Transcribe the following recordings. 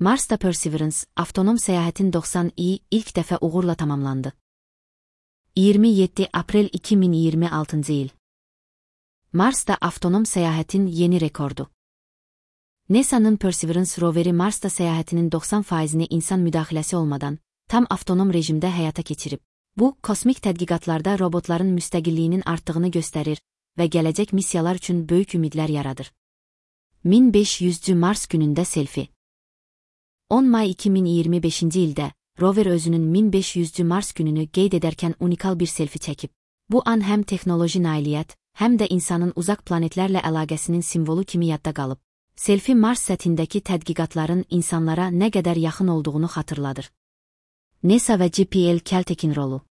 Marsda Perseverance, avtonom səyahətin 90i ilk dəfə uğurla tamamlandı. 27 aprel 2026 il. Marsda avtonom səyahətin yeni rekordu. NASA'nın Perseverance roveri Marsda səyahətinin 90%-ni insan müdaxiləsi olmadan, tam avtonom rejimdə həyata keçirib. Bu, kosmik tədqiqatlarda robotların müstəqilliyinin artdığını göstərir və gələcək missiyalar üçün böyük ümidlər yaradır. 1500-cü Mars günündə selfie. 10 may 2025-ci ildə, rover özünün 1500-cü Mars gününü qeyd edərkən unikal bir selfie çəkib. Bu an həm texnoloji nailiyyət, həm də insanın uzaq planetlərlə əlaqəsinin simvolu kimi yadda qalıb. Selfie Mars səthindəki tədqiqatların insanlara nə qədər yaxın olduğunu xatırladır. NASA və JPL Caltech'in rolu.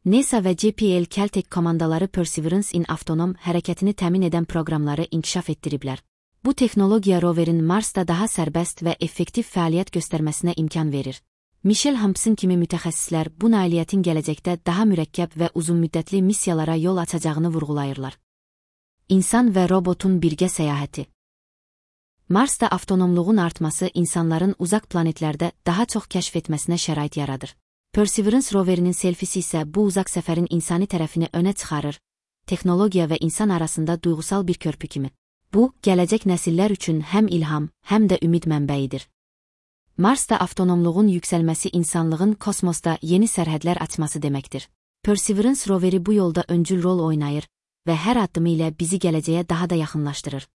NASA və JPL Caltech komandaları Perseverance in avtonom hərəkətini təmin edən proqramları inkişaf etdiriblər. Bu texnologiya roverin Marsda daha sərbəst və effektiv fəaliyyət göstərməsinə imkan verir. Michel Hampson kimi mütəxəssislər bu nailiyyətin gələcəkdə daha mürəkkəb və uzunmüddətli missiyalara yol açacağını vurğulayırlar. İnsan və robotun birgə səyahəti. Marsda avtonomluğun artması insanların uzaq planetlərdə daha çox kəşf etməsinə şərait yaradır. Perseverance roverinin selfisi isə bu uzaq səfərin insani tərəfini önə çıxarır, texnologiya və insan arasında duyğusal bir körpü kimi. Bu, gələcək nəsillər üçün həm ilham, həm də ümid mənbəyidir. Marsda avtonomluğun yüksəlməsi insanlığın kosmosda yeni sərhədlər açması deməkdir. Perseverance roveri bu yolda öncül rol oynayır və hər addımı ilə bizi gələcəyə daha da yaxınlaşdırır.